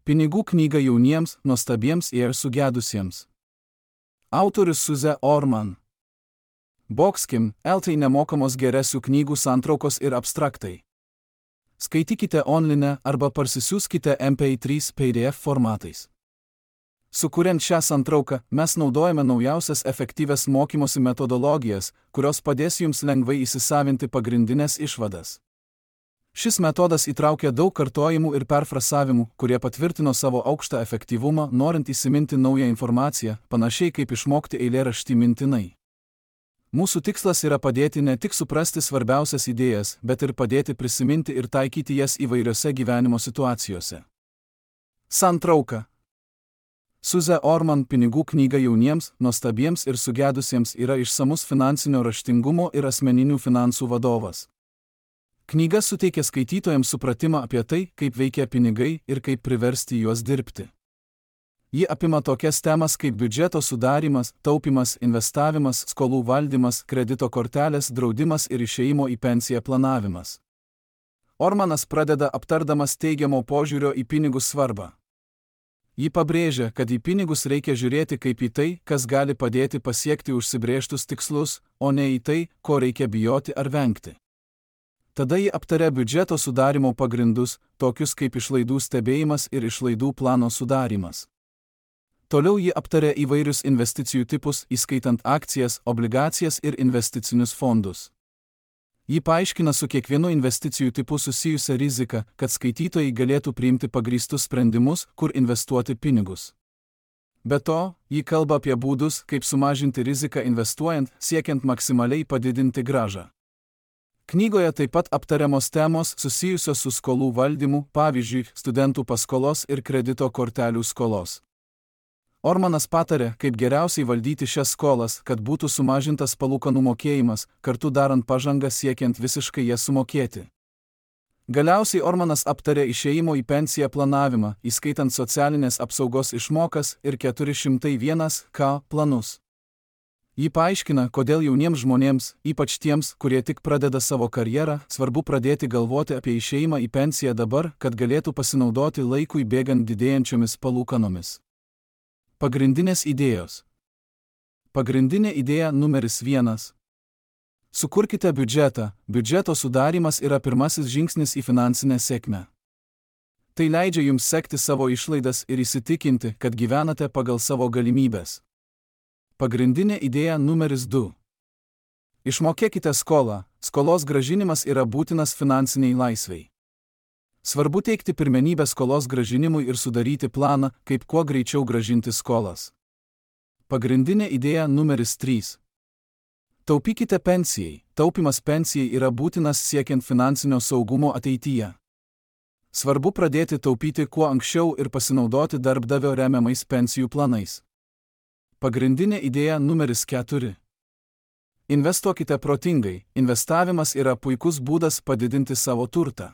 Pinigų knyga jauniems, nuostabiems ir sugedusiems. Autorius Suze Orman. Boxkim, LT nemokamos geresių knygų santraukos ir abstraktai. Skaitykite online arba parsisiųskite MP3 PDF formatais. Sukuriant šią santrauką, mes naudojame naujausias efektyvias mokymosi metodologijas, kurios padės jums lengvai įsisavinti pagrindinės išvadas. Šis metodas įtraukia daug kartojimų ir perfrasavimų, kurie patvirtino savo aukštą efektyvumą, norint įsiminti naują informaciją, panašiai kaip išmokti eilėraštį mintinai. Mūsų tikslas yra padėti ne tik suprasti svarbiausias idėjas, bet ir padėti prisiminti ir taikyti jas įvairiose gyvenimo situacijose. Santrauka. Suze Orman pinigų knyga jauniems, nuostabiems ir sugedusiems yra išsamus finansinio raštingumo ir asmeninių finansų vadovas. Knyga suteikia skaitytojams supratimą apie tai, kaip veikia pinigai ir kaip priversti juos dirbti. Ji apima tokias temas kaip biudžeto sudarymas, taupimas, investavimas, skolų valdymas, kredito kortelės, draudimas ir išėjimo į pensiją planavimas. Ormanas pradeda aptardamas teigiamo požiūrio į pinigus svarbą. Ji pabrėžia, kad į pinigus reikia žiūrėti kaip į tai, kas gali padėti pasiekti užsibrėžtus tikslus, o ne į tai, ko reikia bijoti ar vengti. Tada ji aptaria biudžeto sudarimo pagrindus, tokius kaip išlaidų stebėjimas ir išlaidų plano sudarymas. Toliau ji aptaria įvairius investicijų tipus, įskaitant akcijas, obligacijas ir investicinius fondus. Ji paaiškina su kiekvienu investicijų tipu susijusią riziką, kad skaitytojai galėtų priimti pagrįstus sprendimus, kur investuoti pinigus. Be to, ji kalba apie būdus, kaip sumažinti riziką investuojant, siekiant maksimaliai padidinti grąžą. Knygoje taip pat aptariamos temos susijusios su skolų valdymu, pavyzdžiui, studentų paskolos ir kredito kortelių skolos. Ormanas patarė, kaip geriausiai valdyti šias skolas, kad būtų sumažintas palūkanų mokėjimas, kartu darant pažangą siekiant visiškai jas sumokėti. Galiausiai Ormanas aptarė išėjimo į pensiją planavimą, įskaitant socialinės apsaugos išmokas ir 401k planus. Ji paaiškina, kodėl jauniems žmonėms, ypač tiems, kurie tik pradeda savo karjerą, svarbu pradėti galvoti apie išėjimą į pensiją dabar, kad galėtų pasinaudoti laikui bėgant didėjančiomis palūkanomis. Pagrindinės idėjos. Pagrindinė idėja numeris 1. Sukurkite biudžetą. Biudžeto sudarymas yra pirmasis žingsnis į finansinę sėkmę. Tai leidžia jums sekti savo išlaidas ir įsitikinti, kad gyvenate pagal savo galimybes. Pagrindinė idėja numeris 2. Išmokėkite skolą. Skolos grąžinimas yra būtinas finansiniai laisvei. Svarbu teikti pirmenybę skolos grąžinimui ir sudaryti planą, kaip kuo greičiau grąžinti skolas. Pagrindinė idėja numeris 3. Taupykite pensijai. Taupimas pensijai yra būtinas siekiant finansinio saugumo ateityje. Svarbu pradėti taupyti kuo anksčiau ir pasinaudoti darbdavio remiamais pensijų planais. Pagrindinė idėja numeris 4. Investuokite protingai. Investavimas yra puikus būdas padidinti savo turtą.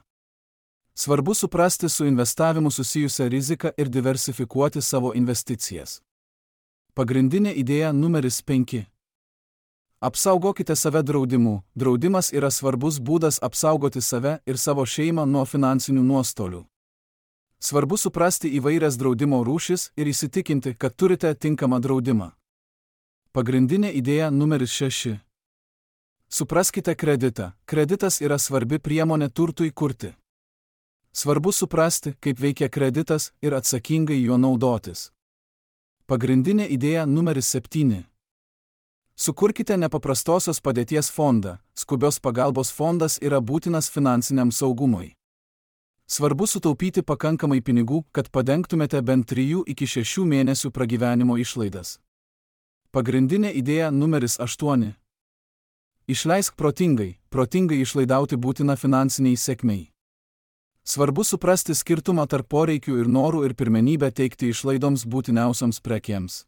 Svarbu suprasti su investavimu susijusią riziką ir diversifikuoti savo investicijas. Pagrindinė idėja numeris 5. Apsaugokite save draudimu. Draudimas yra svarbus būdas apsaugoti save ir savo šeimą nuo finansinių nuostolių. Svarbu suprasti įvairias draudimo rūšis ir įsitikinti, kad turite tinkamą draudimą. Pagrindinė idėja numeris 6. Supraskite kreditą. Kreditas yra svarbi priemonė turtui kurti. Svarbu suprasti, kaip veikia kreditas ir atsakingai juo naudotis. Pagrindinė idėja numeris 7. Sukurkite nepaprastosios padėties fondą. Skubios pagalbos fondas yra būtinas finansiniam saugumui. Svarbu sutaupyti pakankamai pinigų, kad padengtumėte bent 3 iki 6 mėnesių pragyvenimo išlaidas. Pagrindinė idėja numeris 8. Išleisk protingai. Protingai išlaidauti būtina finansiniai sėkmei. Svarbu suprasti skirtumą tarp poreikių ir norų ir pirmenybę teikti išlaidoms būtiniausioms prekėms.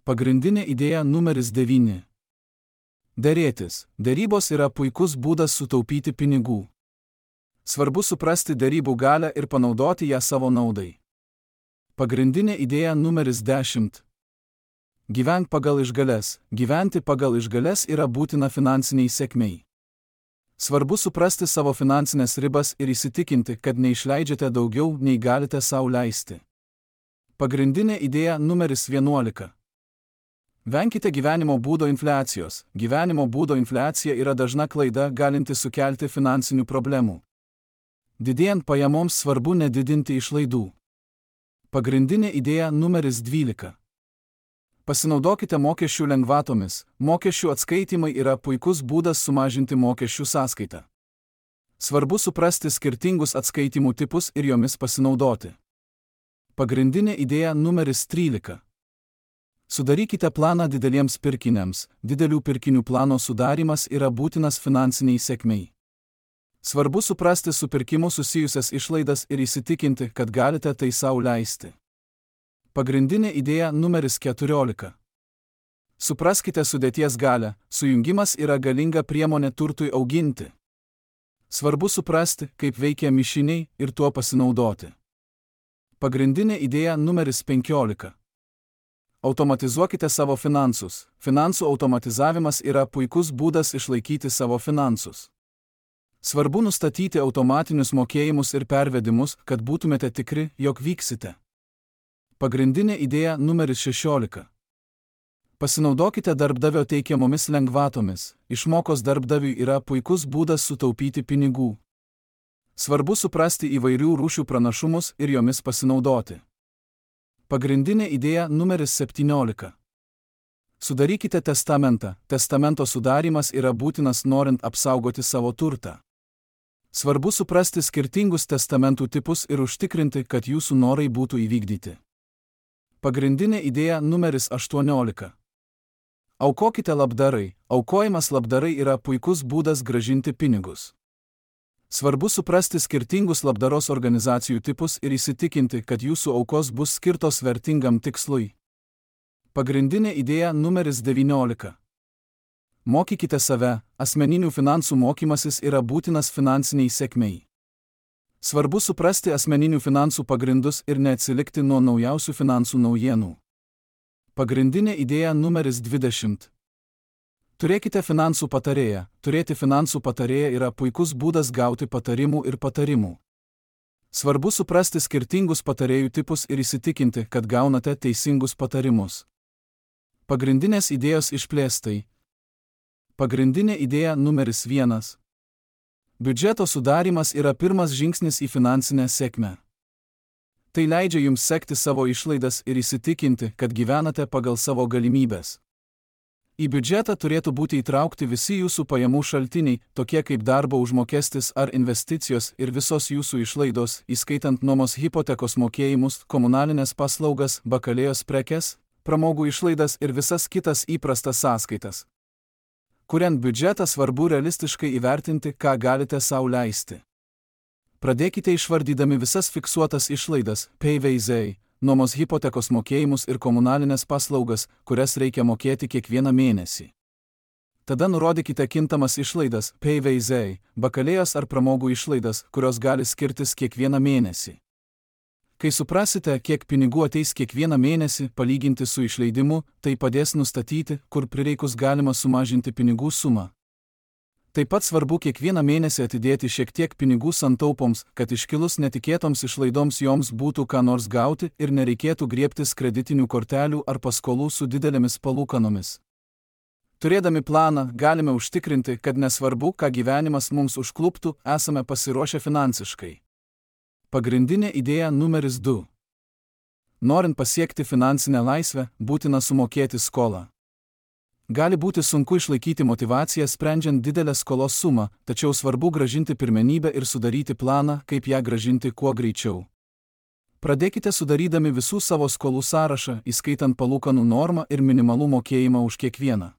Pagrindinė idėja numeris 9. Derėtis. Derybos yra puikus būdas sutaupyti pinigų. Svarbu suprasti derybų galią ir panaudoti ją savo naudai. Pagrindinė idėja numeris 10. Gyvenk pagal išgales. Gyventi pagal išgales yra būtina finansiniai sėkmei. Svarbu suprasti savo finansinės ribas ir įsitikinti, kad neišleidžiate daugiau, nei galite sau leisti. Pagrindinė idėja numeris 11. Venkite gyvenimo būdo infliacijos. Gyvenimo būdo infliacija yra dažna klaida, galinti sukelti finansinių problemų. Didėjant pajamoms svarbu nedidinti išlaidų. Pagrindinė idėja numeris 12. Pasinaudokite mokesčių lengvatomis. Mokesčių atskaitimai yra puikus būdas sumažinti mokesčių sąskaitą. Svarbu suprasti skirtingus atskaitimų tipus ir jomis pasinaudoti. Pagrindinė idėja numeris 13. Sudarykite planą dideliems pirkiniams. Didelių pirkinių plano sudarimas yra būtinas finansiniai sėkmei. Svarbu suprasti su pirkimu susijusias išlaidas ir įsitikinti, kad galite tai sau leisti. Pagrindinė idėja numeris 14. Supraskite sudėties galią. Sujungimas yra galinga priemonė turtui auginti. Svarbu suprasti, kaip veikia mišiniai ir tuo pasinaudoti. Pagrindinė idėja numeris 15. Automatizuokite savo finansus. Finansų automatizavimas yra puikus būdas išlaikyti savo finansus. Svarbu nustatyti automatinius mokėjimus ir pervedimus, kad būtumėte tikri, jog vyksite. Pagrindinė idėja numeris 16. Pasinaudokite darbdavio teikiamomis lengvatomis. Išmokos darbdaviui yra puikus būdas sutaupyti pinigų. Svarbu suprasti įvairių rūšių pranašumus ir jomis pasinaudoti. Pagrindinė idėja numeris 17. Sudarykite testamentą. Testamento sudarimas yra būtinas norint apsaugoti savo turtą. Svarbu suprasti skirtingus testamentų tipus ir užtikrinti, kad jūsų norai būtų įvykdyti. Pagrindinė idėja numeris 18. Aukokite labdarai. Aukojimas labdarai yra puikus būdas grąžinti pinigus. Svarbu suprasti skirtingus labdaros organizacijų tipus ir įsitikinti, kad jūsų aukos bus skirtos vertingam tikslui. Pagrindinė idėja numeris 19. Mokykite save. Asmeninių finansų mokymasis yra būtinas finansiniai sėkmei. Svarbu suprasti asmeninių finansų pagrindus ir neatsilikti nuo naujausių finansų naujienų. Pagrindinė idėja numeris 20. Turėkite finansų patarėją. Turėti finansų patarėją yra puikus būdas gauti patarimų ir patarimų. Svarbu suprasti skirtingus patarėjų tipus ir įsitikinti, kad gaunate teisingus patarimus. Pagrindinės idėjos išplėstai. Pagrindinė idėja numeris 1. Biudžeto sudarimas yra pirmas žingsnis į finansinę sėkmę. Tai leidžia jums sekti savo išlaidas ir įsitikinti, kad gyvenate pagal savo galimybes. Į biudžetą turėtų būti įtraukti visi jūsų pajamų šaltiniai, tokie kaip darbo užmokestis ar investicijos ir visos jūsų išlaidos, įskaitant nuomos hipotekos mokėjimus, komunalinės paslaugas, bakalėjos prekes, pramogų išlaidas ir visas kitas įprastas sąskaitas. Kuriant biudžetą svarbu realistiškai įvertinti, ką galite sau leisti. Pradėkite išvardydami visas fiksuotas išlaidas, PVZ, nuomos hipotekos mokėjimus ir komunalinės paslaugas, kurias reikia mokėti kiekvieną mėnesį. Tada nurodykite kintamas išlaidas, PVZ, bakalėjos ar pramogų išlaidas, kurios gali skirtis kiekvieną mėnesį. Kai suprasite, kiek pinigų ateis kiekvieną mėnesį palyginti su išleidimu, tai padės nustatyti, kur prireikus galima sumažinti pinigų sumą. Taip pat svarbu kiekvieną mėnesį atidėti šiek tiek pinigų santaupoms, kad iškilus netikėtoms išlaidoms joms būtų ką nors gauti ir nereikėtų griebtis kreditinių kortelių ar paskolų su didelėmis palūkanomis. Turėdami planą, galime užtikrinti, kad nesvarbu, ką gyvenimas mums užkluptų, esame pasiruošę finansiškai. Pagrindinė idėja numeris 2. Norint pasiekti finansinę laisvę, būtina sumokėti skolą. Gali būti sunku išlaikyti motyvaciją sprendžiant didelę skolos sumą, tačiau svarbu grąžinti pirmenybę ir sudaryti planą, kaip ją grąžinti kuo greičiau. Pradėkite sudarydami visų savo skolų sąrašą, įskaitant palūkanų normą ir minimalų mokėjimą už kiekvieną.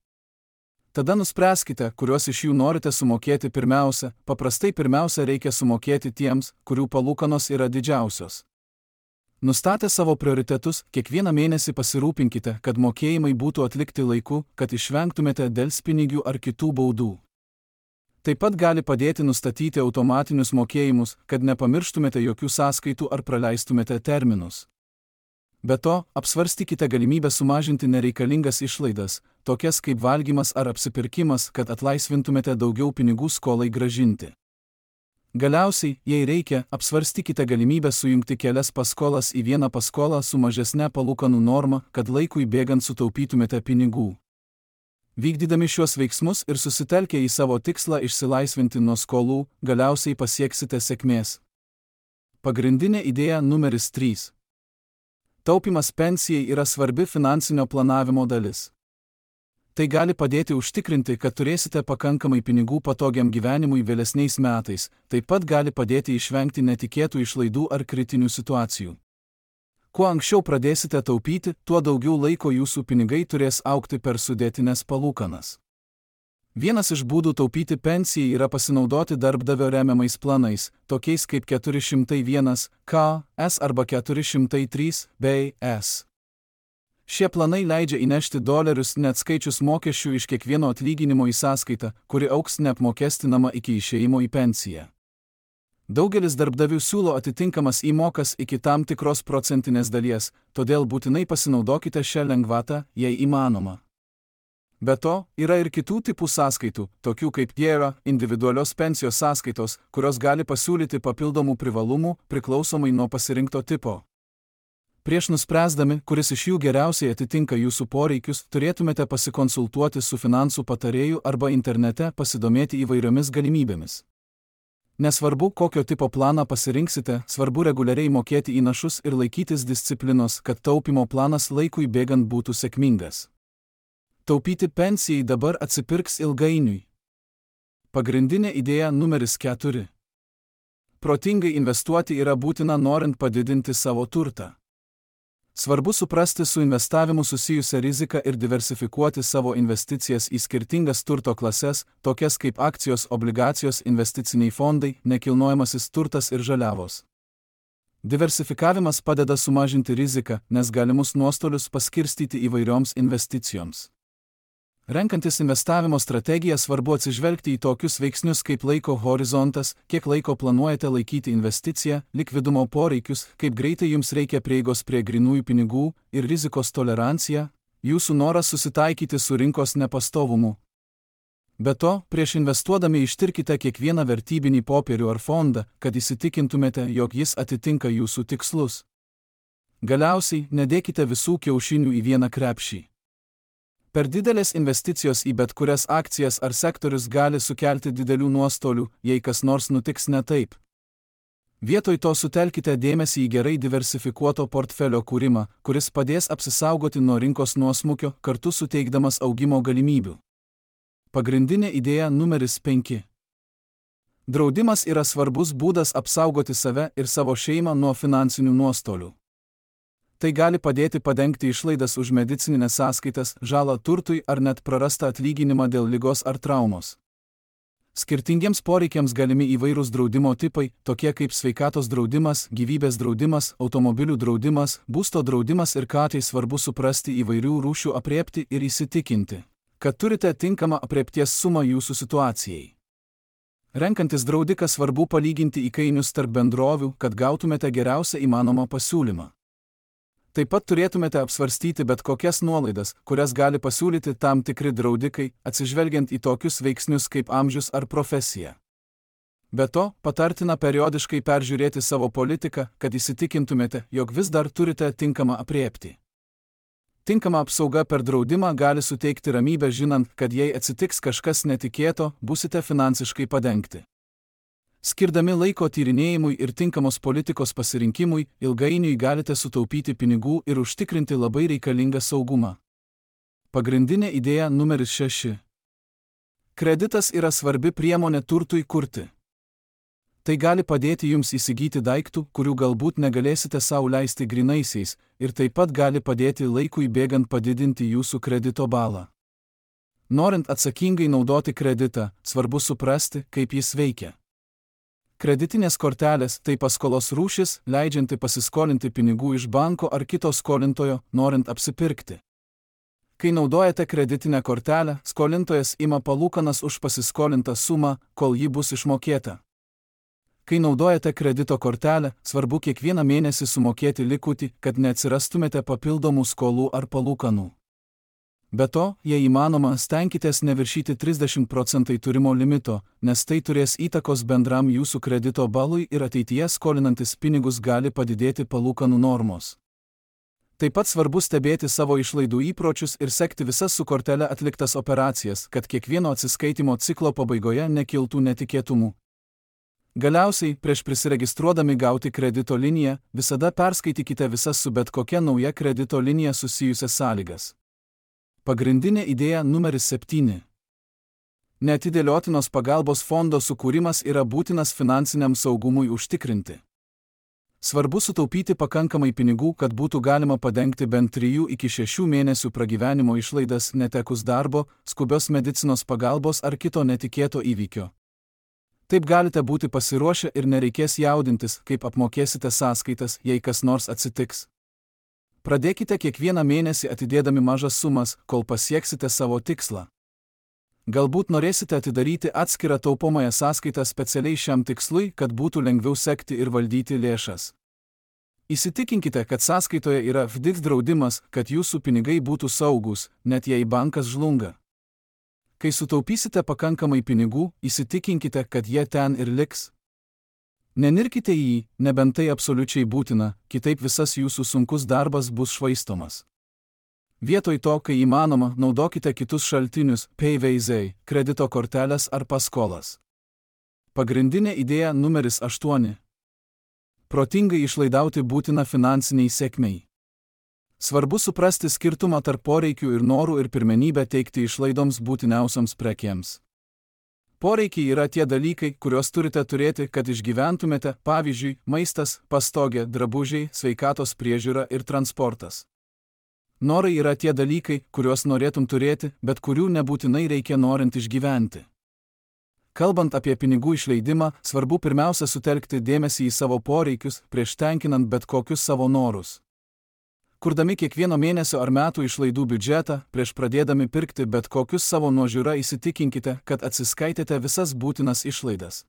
Tada nuspręskite, kuriuos iš jų norite sumokėti pirmiausia. Paprastai pirmiausia reikia sumokėti tiems, kurių palūkanos yra didžiausios. Nustatę savo prioritetus, kiekvieną mėnesį pasirūpinkite, kad mokėjimai būtų atlikti laiku, kad išvengtumėte delspinigių ar kitų baudų. Taip pat gali padėti nustatyti automatinius mokėjimus, kad nepamirštumėte jokių sąskaitų ar praleistumėte terminus. Be to, apsvarstykite galimybę sumažinti nereikalingas išlaidas, tokias kaip valgymas ar apsipirkimas, kad atlaisvintumėte daugiau pinigų skolai grąžinti. Galiausiai, jei reikia, apsvarstykite galimybę sujungti kelias paskolas į vieną paskolą su mažesne palūkanų norma, kad laikui bėgant sutaupytumėte pinigų. Vykdydami šiuos veiksmus ir susitelkę į savo tikslą išsilaisvinti nuo skolų, galiausiai pasieksite sėkmės. Pagrindinė idėja numeris 3. Taupimas pensijai yra svarbi finansinio planavimo dalis. Tai gali padėti užtikrinti, kad turėsite pakankamai pinigų patogiam gyvenimui vėlesniais metais, taip pat gali padėti išvengti netikėtų išlaidų ar kritinių situacijų. Kuo anksčiau pradėsite taupyti, tuo daugiau laiko jūsų pinigai turės augti per sudėtines palūkanas. Vienas iš būdų taupyti pensijai yra pasinaudoti darbdavio remiamais planais, tokiais kaip 401k, S arba 403 bei S. Šie planai leidžia įnešti dolerius neatskaičius mokesčių iš kiekvieno atlyginimo į sąskaitą, kuri augs neapmokestinama iki išėjimo į pensiją. Daugelis darbdavių siūlo atitinkamas įmokas iki tam tikros procentinės dalies, todėl būtinai pasinaudokite šią lengvatą, jei įmanoma. Be to, yra ir kitų tipų sąskaitų, tokių kaip IRA, individualios pensijos sąskaitos, kurios gali pasiūlyti papildomų privalumų priklausomai nuo pasirinkto tipo. Prieš nuspręsdami, kuris iš jų geriausiai atitinka jūsų poreikius, turėtumėte pasikonsultuoti su finansų patarėju arba internete pasidomėti įvairiomis galimybėmis. Nesvarbu, kokio tipo planą pasirinksite, svarbu reguliariai mokėti įnašus ir laikytis disciplinos, kad taupimo planas laikui bėgant būtų sėkmingas. Taupyti pensijai dabar atsipirks ilgainiui. Pagrindinė idėja numeris 4. Protingai investuoti yra būtina norint padidinti savo turtą. Svarbu suprasti su investavimu susijusią riziką ir diversifikuoti savo investicijas į skirtingas turto klases, tokias kaip akcijos, obligacijos, investiciniai fondai, nekilnojamasis turtas ir žaliavos. Diversifikavimas padeda sumažinti riziką, nes galimus nuostolius paskirstyti įvairioms investicijoms. Renkantis investavimo strategiją svarbu atsižvelgti į tokius veiksnius kaip laiko horizontas, kiek laiko planuojate laikyti investiciją, likvidumo poreikius, kaip greitai jums reikia prieigos prie grynųjų pinigų ir rizikos tolerancija, jūsų noras susitaikyti su rinkos nepastovumu. Be to, prieš investuodami ištirkite kiekvieną vertybinį popierių ar fondą, kad įsitikintumėte, jog jis atitinka jūsų tikslus. Galiausiai, nedėkite visų kiaušinių į vieną krepšį. Per didelės investicijos į bet kurias akcijas ar sektorius gali sukelti didelių nuostolių, jei kas nors nutiks ne taip. Vietoj to sutelkite dėmesį į gerai diversifikuoto portfelio kūrimą, kuris padės apsisaugoti nuo rinkos nuosmukio, kartu suteikdamas augimo galimybių. Pagrindinė idėja numeris 5. Draudimas yra svarbus būdas apsaugoti save ir savo šeimą nuo finansinių nuostolių. Tai gali padėti padengti išlaidas už medicininės sąskaitas, žalą turtui ar net prarastą atlyginimą dėl ligos ar traumos. Skirtingiems poreikiams galimi įvairūs draudimo tipai, tokie kaip sveikatos draudimas, gyvybės draudimas, automobilių draudimas, būsto draudimas ir ką tai svarbu suprasti įvairių rūšių aprėpti ir įsitikinti, kad turite tinkamą aprėpties sumą jūsų situacijai. Renkantis draudiką svarbu palyginti įkainius tarp bendrovių, kad gautumėte geriausią įmanomą pasiūlymą. Taip pat turėtumėte apsvarstyti bet kokias nuolaidas, kurias gali pasiūlyti tam tikri draudikai, atsižvelgiant į tokius veiksnius kaip amžius ar profesija. Be to, patartina periodiškai peržiūrėti savo politiką, kad įsitikintumėte, jog vis dar turite tinkamą aprėptį. Tinkama apsauga per draudimą gali suteikti ramybę žinant, kad jei atsitiks kažkas netikėto, busite finansiškai padengti. Skirdami laiko tyrinėjimui ir tinkamos politikos pasirinkimui, ilgainiui galite sutaupyti pinigų ir užtikrinti labai reikalingą saugumą. Pagrindinė idėja numeris 6. Kreditas yra svarbi priemonė turtui kurti. Tai gali padėti jums įsigyti daiktų, kurių galbūt negalėsite sau leisti grynaisiais, ir taip pat gali padėti laikui bėgant padidinti jūsų kredito balą. Norint atsakingai naudoti kreditą, svarbu suprasti, kaip jis veikia. Kreditinės kortelės – tai paskolos rūšis, leidžianti pasiskolinti pinigų iš banko ar kito skolintojo, norint apsipirkti. Kai naudojate kreditinę kortelę, skolintojas ima palūkanas už pasiskolintą sumą, kol ji bus išmokėta. Kai naudojate kredito kortelę, svarbu kiekvieną mėnesį sumokėti likutį, kad neatsirastumėte papildomų skolų ar palūkanų. Be to, jei įmanoma, stenkitės neviršyti 30% turimo limito, nes tai turės įtakos bendram jūsų kredito balui ir ateityje skolinantis pinigus gali padidėti palūkanų normos. Taip pat svarbu stebėti savo išlaidų įpročius ir sekti visas su kortele atliktas operacijas, kad kiekvieno atsiskaitimo ciklo pabaigoje nekiltų netikėtumų. Galiausiai, prieš prisiregistruodami gauti kredito liniją, visada perskaitykite visas su bet kokia nauja kredito linija susijusias sąlygas. Pagrindinė idėja numeris 7. Neatidėliotinos pagalbos fondo sukūrimas yra būtinas finansiniam saugumui užtikrinti. Svarbu sutaupyti pakankamai pinigų, kad būtų galima padengti bent 3 iki 6 mėnesių pragyvenimo išlaidas netekus darbo, skubios medicinos pagalbos ar kito netikėto įvykio. Taip galite būti pasiruošę ir nereikės jaudintis, kaip apmokėsite sąskaitas, jei kas nors atsitiks. Pradėkite kiekvieną mėnesį atidėdami mažas sumas, kol pasieksite savo tikslą. Galbūt norėsite atidaryti atskirą taupomąją sąskaitą specialiai šiam tikslui, kad būtų lengviau sekti ir valdyti lėšas. Įsitikinkite, kad sąskaitoje yra FDIC draudimas, kad jūsų pinigai būtų saugūs, net jei bankas žlunga. Kai sutaupysite pakankamai pinigų, įsitikinkite, kad jie ten ir liks. Nenirkite į jį, nebent tai absoliučiai būtina, kitaip visas jūsų sunkus darbas bus švaistomas. Vietoj to, kai įmanoma, naudokite kitus šaltinius, PayVaizai, kredito kortelės ar paskolas. Pagrindinė idėja numeris 8. Protingai išlaidauti būtina finansiniai sėkmei. Svarbu suprasti skirtumą tarp poreikių ir norų ir pirmenybę teikti išlaidoms būtiniausiams prekėms. Poreikiai yra tie dalykai, kuriuos turite turėti, kad išgyventumėte, pavyzdžiui, maistas, pastogė, drabužiai, sveikatos priežiūra ir transportas. Norai yra tie dalykai, kuriuos norėtum turėti, bet kurių nebūtinai reikia norint išgyventi. Kalbant apie pinigų išleidimą, svarbu pirmiausia sutelkti dėmesį į savo poreikius, prieš tenkinant bet kokius savo norus. Kurdami kiekvieno mėnesio ar metų išlaidų biudžetą, prieš pradėdami pirkti bet kokius savo nuožiūra įsitikinkite, kad atsiskaitėte visas būtinas išlaidas.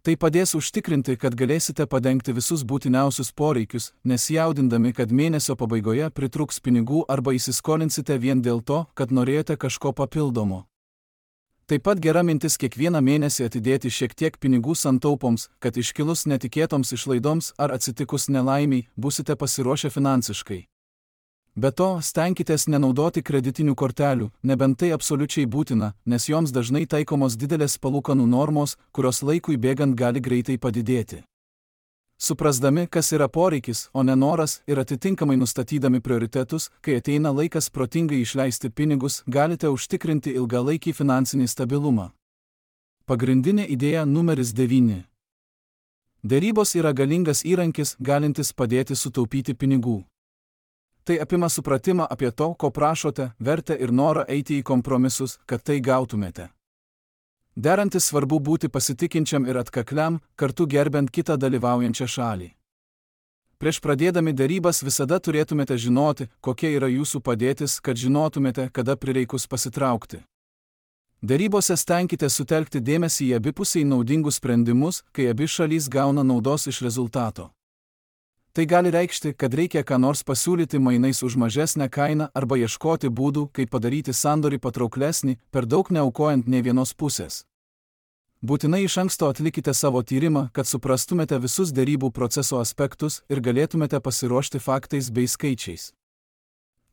Tai padės užtikrinti, kad galėsite padengti visus būtiniausius poreikius, nesijaudindami, kad mėnesio pabaigoje pritrūks pinigų arba įsiskolinsite vien dėl to, kad norėjote kažko papildomo. Taip pat gera mintis kiekvieną mėnesį atidėti šiek tiek pinigų santaupoms, kad iškilus netikėtoms išlaidoms ar atsitikus nelaimiai būsite pasiruošę finansiškai. Be to, stenkitės nenaudoti kreditinių kortelių, nebent tai absoliučiai būtina, nes joms dažnai taikomos didelės palūkanų normos, kurios laikui bėgant gali greitai padidėti. Suprasdami, kas yra poreikis, o ne noras, ir atitinkamai nustatydami prioritetus, kai ateina laikas protingai išleisti pinigus, galite užtikrinti ilgalaikį finansinį stabilumą. Pagrindinė idėja numeris 9. Derybos yra galingas įrankis, galintis padėti sutaupyti pinigų. Tai apima supratimą apie to, ko prašote, vertę ir norą eiti į kompromisus, kad tai gautumėte. Derantis svarbu būti pasitikinčiam ir atkakliam, kartu gerbent kitą dalyvaujančią šalį. Prieš pradėdami derybas visada turėtumėte žinoti, kokia yra jūsų padėtis, kad žinotumėte, kada prireikus pasitraukti. Derybose stenkite sutelkti dėmesį į abipusiai naudingus sprendimus, kai abi šalys gauna naudos iš rezultato. Tai gali reikšti, kad reikia ką nors pasiūlyti mainais už mažesnę kainą arba ieškoti būdų, kaip padaryti sandorį patrauklesnį, per daug neaukojant nė vienos pusės. Būtinai iš anksto atlikite savo tyrimą, kad suprastumėte visus derybų proceso aspektus ir galėtumėte pasiruošti faktais bei skaičiais.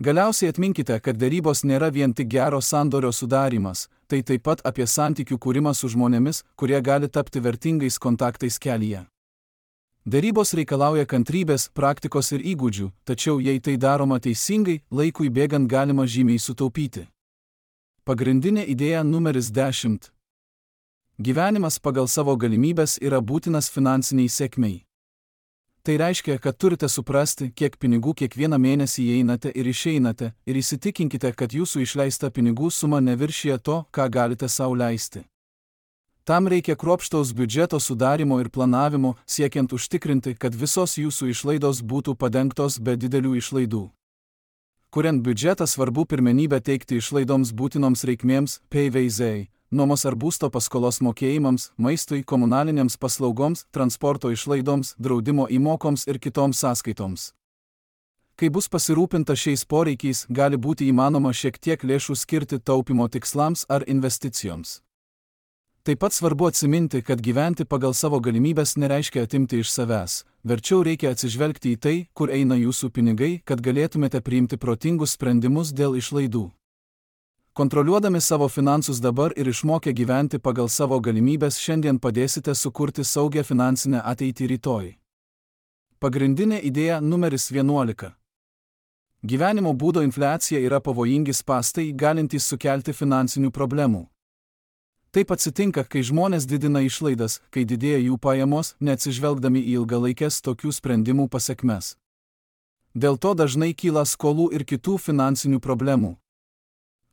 Galiausiai atminkite, kad derybos nėra vien tik gero sandorio sudarymas, tai taip pat apie santykių kūrimą su žmonėmis, kurie gali tapti vertingais kontaktais kelyje. Derybos reikalauja kantrybės, praktikos ir įgūdžių, tačiau jei tai daroma teisingai, laikui bėgant galima žymiai sutaupyti. Pagrindinė idėja numeris 10. Gyvenimas pagal savo galimybes yra būtinas finansiniai sėkmei. Tai reiškia, kad turite suprasti, kiek pinigų kiekvieną mėnesį įeinate ir išeinate, ir įsitikinkite, kad jūsų išleista pinigų suma neviršija to, ką galite sau leisti. Tam reikia kruopštaus biudžeto sudarimo ir planavimo, siekiant užtikrinti, kad visos jūsų išlaidos būtų padengtos be didelių išlaidų. Kuriant biudžetą svarbu pirmenybę teikti išlaidoms būtinoms reikmėms, PVZ, nuomos ar būsto paskolos mokėjimams, maistui, komunalinėms paslaugoms, transporto išlaidoms, draudimo įmokoms ir kitoms sąskaitoms. Kai bus pasirūpinta šiais poreikiais, gali būti įmanoma šiek tiek lėšų skirti taupimo tikslams ar investicijoms. Taip pat svarbu atsiminti, kad gyventi pagal savo galimybes nereiškia atimti iš savęs, verčiau reikia atsižvelgti į tai, kur eina jūsų pinigai, kad galėtumėte priimti protingus sprendimus dėl išlaidų. Kontroliuodami savo finansus dabar ir išmokę gyventi pagal savo galimybes šiandien padėsite sukurti saugią finansinę ateitį rytoj. Pagrindinė idėja numeris 11. Gyvenimo būdo infliacija yra pavojingi spąstai, galintys sukelti finansinių problemų. Taip atsitinka, kai žmonės didina išlaidas, kai didėja jų pajamos, neatsižvelgdami į ilgalaikės tokių sprendimų pasekmes. Dėl to dažnai kyla skolų ir kitų finansinių problemų.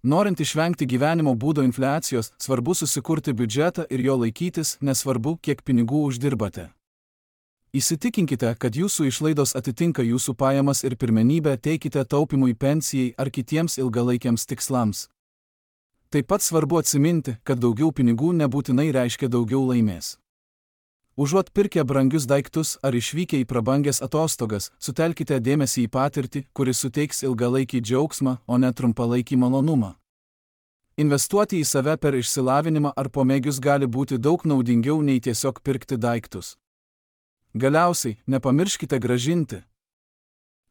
Norint išvengti gyvenimo būdo infliacijos, svarbu susikurti biudžetą ir jo laikytis, nesvarbu, kiek pinigų uždirbate. Įsitikinkite, kad jūsų išlaidos atitinka jūsų pajamas ir pirmenybę teikite taupimui, pensijai ar kitiems ilgalaikiams tikslams. Taip pat svarbu atsiminti, kad daugiau pinigų nebūtinai reiškia daugiau laimės. Užuot pirkę brangius daiktus ar išvykę į prabangias atostogas, sutelkite dėmesį į patirtį, kuris suteiks ilgalaikį džiaugsmą, o ne trumpalaikį malonumą. Investuoti į save per išsilavinimą ar pomėgius gali būti daug naudingiau nei tiesiog pirkti daiktus. Galiausiai, nepamirškite grąžinti.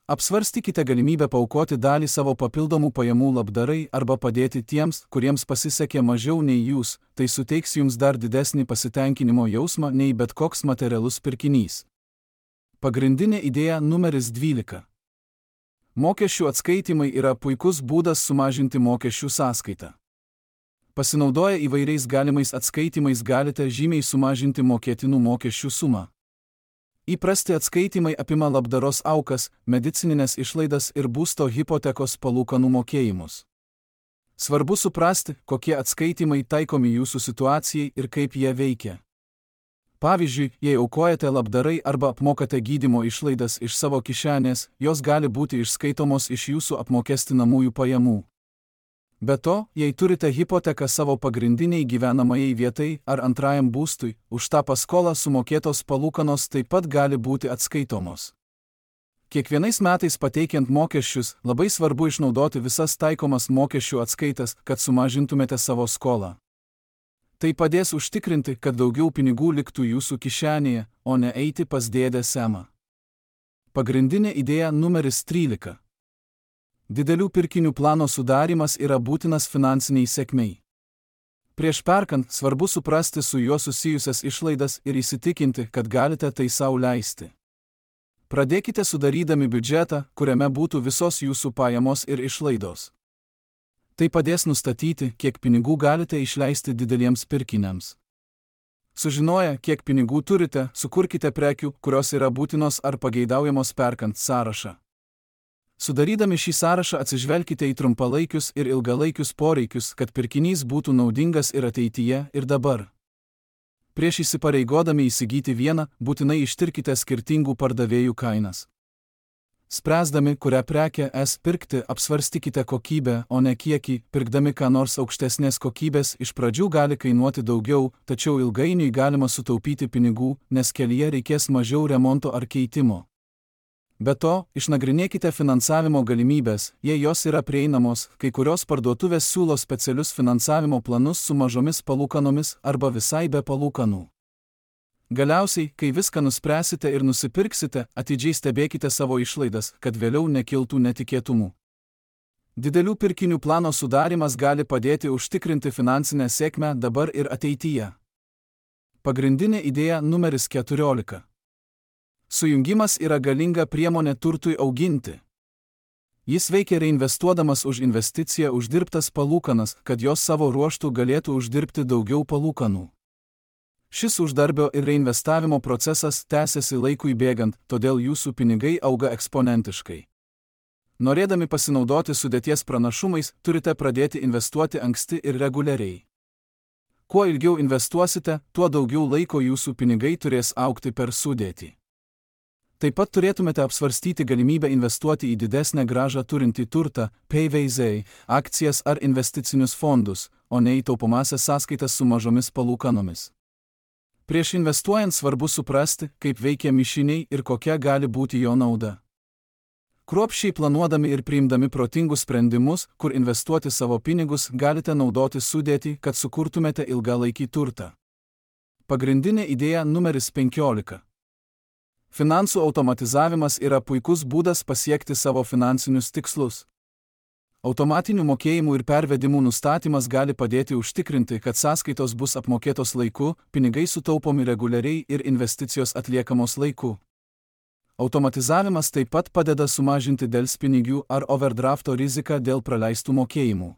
Apsvarstykite galimybę paaukoti dalį savo papildomų pajamų labdarai arba padėti tiems, kuriems pasisekė mažiau nei jūs, tai suteiks jums dar didesnį pasitenkinimo jausmą nei bet koks materialus pirkinys. Pagrindinė idėja numeris 12. Mokesčių atskaitimai yra puikus būdas sumažinti mokesčių sąskaitą. Pasinaudoję įvairiais galimais atskaitimais galite žymiai sumažinti mokėtinų mokesčių sumą. Įprasti atskaitimai apima labdaros aukas, medicininės išlaidas ir būsto hipotekos palūkanų mokėjimus. Svarbu suprasti, kokie atskaitimai taikomi jūsų situacijai ir kaip jie veikia. Pavyzdžiui, jei aukojate labdarai arba apmokate gydymo išlaidas iš savo kišenės, jos gali būti išskaitomos iš jūsų apmokestinamųjų pajamų. Be to, jei turite hipoteką savo pagrindiniai gyvenamajai vietai ar antrajam būstui, už tą paskolą sumokėtos palūkanos taip pat gali būti atskaitomos. Kiekvienais metais pateikiant mokesčius, labai svarbu išnaudoti visas taikomas mokesčių atskaitas, kad sumažintumėte savo skolą. Tai padės užtikrinti, kad daugiau pinigų liktų jūsų kišenėje, o ne eiti pas dėdę Semą. Pagrindinė idėja numeris 13. Didelių pirkinių plano sudarimas yra būtinas finansiniai sėkmei. Prieš perkant, svarbu suprasti su juo susijusias išlaidas ir įsitikinti, kad galite tai sau leisti. Pradėkite sudarydami biudžetą, kuriame būtų visos jūsų pajamos ir išlaidos. Tai padės nustatyti, kiek pinigų galite išleisti dideliems pirkiniams. Sužinoję, kiek pinigų turite, sukurkite prekių, kurios yra būtinos ar pageidaujamos perkant sąrašą. Sudarydami šį sąrašą atsižvelkite į trumpalaikius ir ilgalaikius poreikius, kad pirkinys būtų naudingas ir ateityje, ir dabar. Prieš įsipareigodami įsigyti vieną, būtinai ištirkite skirtingų pardavėjų kainas. Spręsdami, kurią prekę pirkti, apsvarstykite kokybę, o ne kiekį. Pirkdami ką nors aukštesnės kokybės, iš pradžių gali kainuoti daugiau, tačiau ilgainiui galima sutaupyti pinigų, nes kelyje reikės mažiau remonto ar keitimo. Be to, išnagrinėkite finansavimo galimybės, jei jos yra prieinamos, kai kurios parduotuvės siūlo specialius finansavimo planus su mažomis palūkanomis arba visai be palūkanų. Galiausiai, kai viską nuspręsite ir nusipirksite, atidžiai stebėkite savo išlaidas, kad vėliau nekiltų netikėtumų. Didelių pirkinių plano sudarimas gali padėti užtikrinti finansinę sėkmę dabar ir ateityje. Pagrindinė idėja numeris 14. Sujungimas yra galinga priemonė turtui auginti. Jis veikia reinvestuodamas už investiciją uždirbtas palūkanas, kad jos savo ruožtų galėtų uždirbti daugiau palūkanų. Šis uždarbio ir reinvestavimo procesas tęsiasi laikui bėgant, todėl jūsų pinigai auga eksponentiškai. Norėdami pasinaudoti sudėties pranašumais, turite pradėti investuoti anksti ir reguliariai. Kuo ilgiau investuosite, tuo daugiau laiko jūsų pinigai turės augti per sudėtį. Taip pat turėtumėte apsvarstyti galimybę investuoti į didesnę grąžą turintį turtą, PVZ, akcijas ar investicinius fondus, o ne į taupomąsias sąskaitas su mažomis palūkanomis. Prieš investuojant svarbu suprasti, kaip veikia mišiniai ir kokia gali būti jo nauda. Kruopščiai planuodami ir priimdami protingus sprendimus, kur investuoti savo pinigus, galite naudoti sudėtį, kad sukurtumėte ilgalaikį turtą. Pagrindinė idėja numeris 15. Finansų automatizavimas yra puikus būdas pasiekti savo finansinius tikslus. Automatinių mokėjimų ir pervedimų nustatymas gali padėti užtikrinti, kad sąskaitos bus apmokėtos laiku, pinigai sutaupomi reguliariai ir investicijos atliekamos laiku. Automatizavimas taip pat padeda sumažinti delspinigių ar overdrafto riziką dėl praleistų mokėjimų.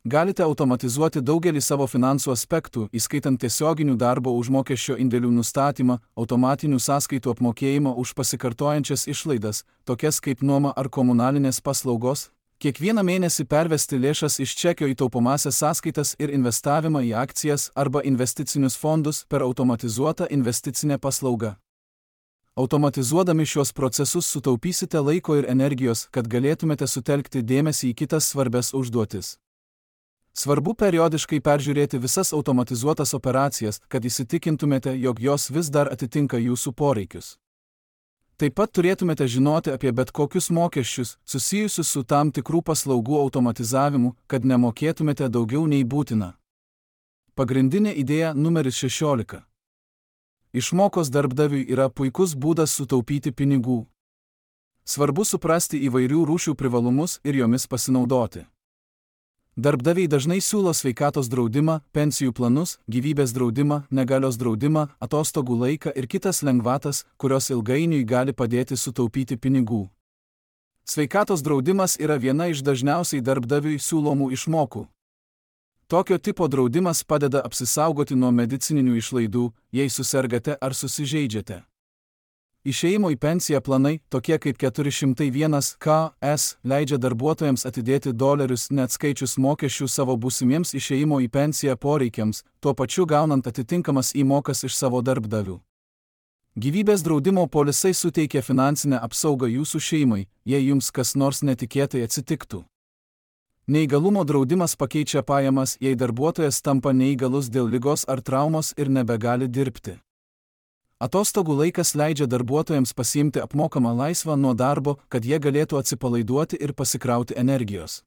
Galite automatizuoti daugelį savo finansų aspektų, įskaitant tiesioginių darbo užmokesčio indėlių nustatymą, automatinių sąskaitų apmokėjimą už pasikartojančias išlaidas, tokias kaip nuoma ar komunalinės paslaugos, kiekvieną mėnesį pervesti lėšas iš čekio į taupomąsias sąskaitas ir investavimą į akcijas arba investicinius fondus per automatizuotą investicinę paslaugą. Automatizuodami šios procesus sutaupysite laiko ir energijos, kad galėtumėte sutelkti dėmesį į kitas svarbias užduotis. Svarbu periodiškai peržiūrėti visas automatizuotas operacijas, kad įsitikintumėte, jog jos vis dar atitinka jūsų poreikius. Taip pat turėtumėte žinoti apie bet kokius mokesčius, susijusius su tam tikrų paslaugų automatizavimu, kad nemokėtumėte daugiau nei būtina. Pagrindinė idėja numeris 16. Išmokos darbdaviui yra puikus būdas sutaupyti pinigų. Svarbu suprasti įvairių rūšių privalumus ir jomis pasinaudoti. Darbdaviai dažnai siūlo sveikatos draudimą, pensijų planus, gyvybės draudimą, negalios draudimą, atostogų laiką ir kitas lengvatas, kurios ilgainiui gali padėti sutaupyti pinigų. Sveikatos draudimas yra viena iš dažniausiai darbdaviui siūlomų išmokų. Tokio tipo draudimas padeda apsisaugoti nuo medicininių išlaidų, jei susergate ar susižeidžiate. Išėjimo į pensiją planai, tokie kaip 401(k)s, leidžia darbuotojams atidėti dolerius neatskaičius mokesčių savo būsimiems išėjimo į pensiją poreikiams, tuo pačiu gaunant atitinkamas įmokas iš savo darbdavių. Gyvybės draudimo polisai suteikia finansinę apsaugą jūsų šeimai, jei jums kas nors netikėtai atsitiktų. Neįgalumo draudimas pakeičia pajamas, jei darbuotojas tampa neįgalus dėl ligos ar traumos ir nebegali dirbti. Atostogų laikas leidžia darbuotojams pasiimti apmokamą laisvą nuo darbo, kad jie galėtų atsipalaiduoti ir pasikrauti energijos.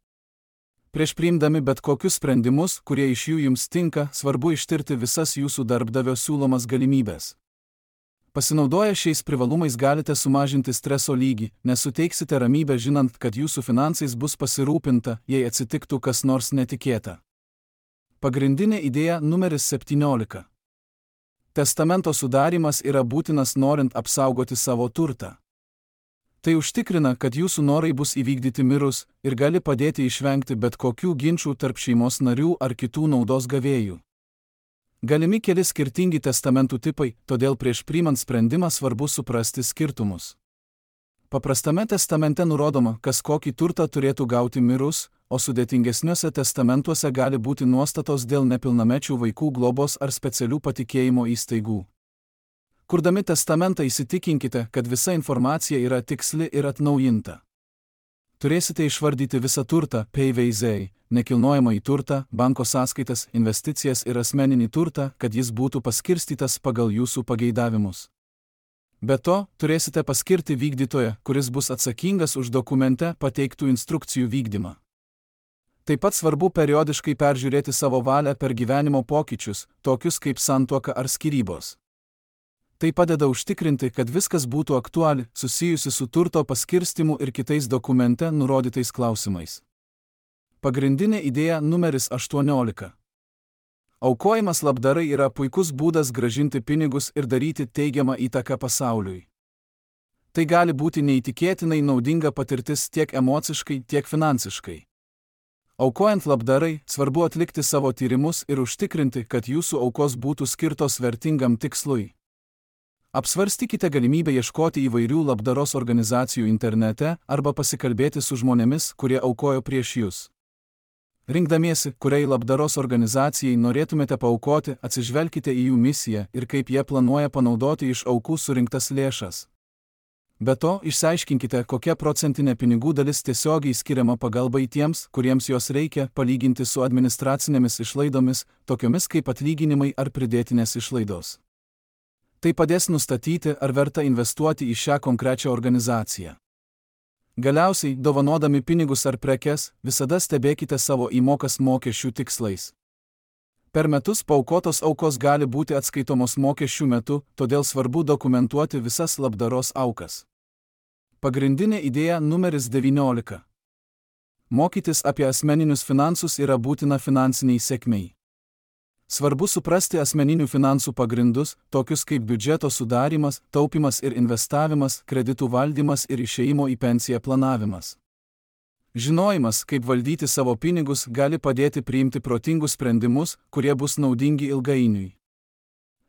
Prieš priimdami bet kokius sprendimus, kurie iš jų jums tinka, svarbu ištirti visas jūsų darbdavio siūlomas galimybės. Pasinaudoję šiais privalumais galite sumažinti streso lygį, nes suteiksite ramybę žinant, kad jūsų finansais bus pasirūpinta, jei atsitiktų kas nors netikėta. Pagrindinė idėja numeris 17. Testamento sudarymas yra būtinas norint apsaugoti savo turtą. Tai užtikrina, kad jūsų norai bus įvykdyti mirus ir gali padėti išvengti bet kokių ginčų tarp šeimos narių ar kitų naudos gavėjų. Galimi keli skirtingi testamentų tipai, todėl prieš priimant sprendimą svarbu suprasti skirtumus. Paprastame testamente nurodoma, kas kokį turtą turėtų gauti mirus, o sudėtingesniuose testamentuose gali būti nuostatos dėl nepilnamečių vaikų globos ar specialių patikėjimo įstaigų. Kurdami testamentą įsitikinkite, kad visa informacija yra tiksli ir atnaujinta. Turėsite išvardyti visą turtą, PVZ, nekilnojamąjį turtą, banko sąskaitas, investicijas ir asmeninį turtą, kad jis būtų paskirstytas pagal jūsų pageidavimus. Be to, turėsite paskirti vykdytoją, kuris bus atsakingas už dokumente pateiktų instrukcijų vykdymą. Taip pat svarbu periodiškai peržiūrėti savo valią per gyvenimo pokyčius, tokius kaip santuoka ar skyrybos. Tai padeda užtikrinti, kad viskas būtų aktuali, susijusi su turto paskirstimu ir kitais dokumente nurodytais klausimais. Pagrindinė idėja numeris 18. Aukojimas labdarai yra puikus būdas grąžinti pinigus ir daryti teigiamą įtaką pasauliui. Tai gali būti neįtikėtinai naudinga patirtis tiek emociškai, tiek finansiškai. Aukojant labdarai, svarbu atlikti savo tyrimus ir užtikrinti, kad jūsų aukos būtų skirtos vertingam tikslui. Apsvarstykite galimybę ieškoti įvairių labdaros organizacijų internete arba pasikalbėti su žmonėmis, kurie aukojo prieš jūs. Rinkdamiesi, kuriai labdaros organizacijai norėtumėte paaukoti, atsižvelkite į jų misiją ir kaip jie planuoja panaudoti iš aukų surinktas lėšas. Be to, išsiaiškinkite, kokia procentinė pinigų dalis tiesiogiai skiriama pagalbai tiems, kuriems jos reikia, palyginti su administracinėmis išlaidomis, tokiomis kaip atlyginimai ar pridėtinės išlaidos. Tai padės nustatyti, ar verta investuoti į šią konkrečią organizaciją. Galiausiai, dovanodami pinigus ar prekes, visada stebėkite savo įmokas mokesčių tikslais. Per metus paaukotos aukos gali būti atskaitomos mokesčių metu, todėl svarbu dokumentuoti visas labdaros aukas. Pagrindinė idėja numeris 19. Mokytis apie asmeninius finansus yra būtina finansiniai sėkmei. Svarbu suprasti asmeninių finansų pagrindus, tokius kaip biudžeto sudarymas, taupimas ir investavimas, kreditų valdymas ir išėjimo į pensiją planavimas. Žinojimas, kaip valdyti savo pinigus, gali padėti priimti protingus sprendimus, kurie bus naudingi ilgainiui.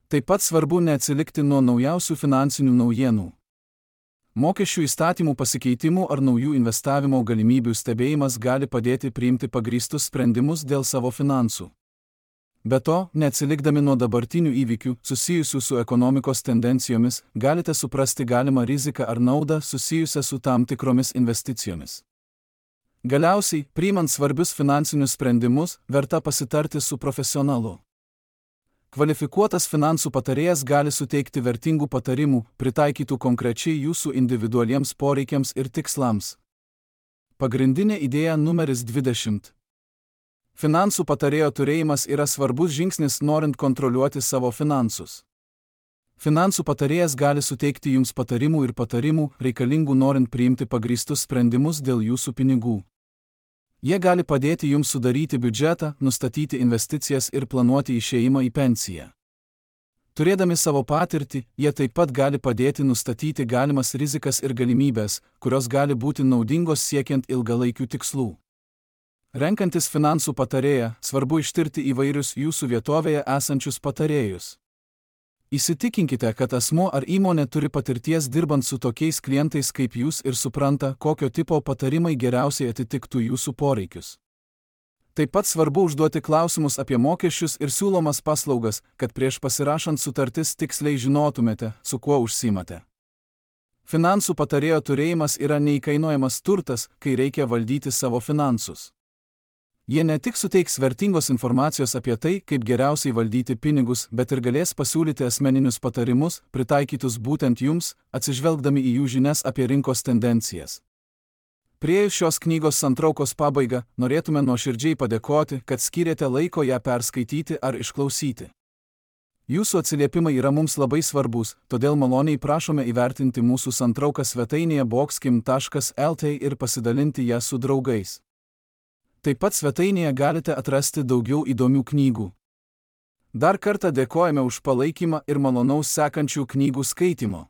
Taip pat svarbu neatsilikti nuo naujausių finansinių naujienų. Mokesčių įstatymų pasikeitimų ar naujų investavimo galimybių stebėjimas gali padėti priimti pagrįstus sprendimus dėl savo finansų. Be to, neatsilikdami nuo dabartinių įvykių, susijusių su ekonomikos tendencijomis, galite suprasti galimą riziką ar naudą susijusią su tam tikromis investicijomis. Galiausiai, priimant svarbius finansinius sprendimus, verta pasitarti su profesionalu. Kvalifikuotas finansų patarėjas gali suteikti vertingų patarimų, pritaikytų konkrečiai jūsų individualiems poreikiams ir tikslams. Pagrindinė idėja numeris 20. Finansų patarėjo turėjimas yra svarbus žingsnis norint kontroliuoti savo finansus. Finansų patarėjas gali suteikti jums patarimų ir patarimų, reikalingų norint priimti pagrįstus sprendimus dėl jūsų pinigų. Jie gali padėti jums sudaryti biudžetą, nustatyti investicijas ir planuoti išėjimą į pensiją. Turėdami savo patirtį, jie taip pat gali padėti nustatyti galimas rizikas ir galimybės, kurios gali būti naudingos siekiant ilgalaikių tikslų. Renkantis finansų patarėją, svarbu ištirti įvairius jūsų vietovėje esančius patarėjus. Įsitikinkite, kad asmuo ar įmonė turi patirties dirbant su tokiais klientais kaip jūs ir supranta, kokio tipo patarimai geriausiai atitiktų jūsų poreikius. Taip pat svarbu užduoti klausimus apie mokesčius ir siūlomas paslaugas, kad prieš pasirašant sutartis tiksliai žinotumėte, su kuo užsiimate. Finansų patarėjo turėjimas yra neįkainojamas turtas, kai reikia valdyti savo finansus. Jie ne tik suteiks vertingos informacijos apie tai, kaip geriausiai valdyti pinigus, bet ir galės pasiūlyti asmeninius patarimus, pritaikytus būtent jums, atsižvelgdami į jų žinias apie rinkos tendencijas. Priėjus šios knygos santraukos pabaigą, norėtume nuoširdžiai padėkoti, kad skyrėte laiko ją perskaityti ar išklausyti. Jūsų atsiliepimai yra mums labai svarbus, todėl maloniai prašome įvertinti mūsų santrauką svetainėje boxkim.lt ir pasidalinti ją su draugais. Taip pat svetainėje galite atrasti daugiau įdomių knygų. Dar kartą dėkojame už palaikymą ir malonaus sekančių knygų skaitymo.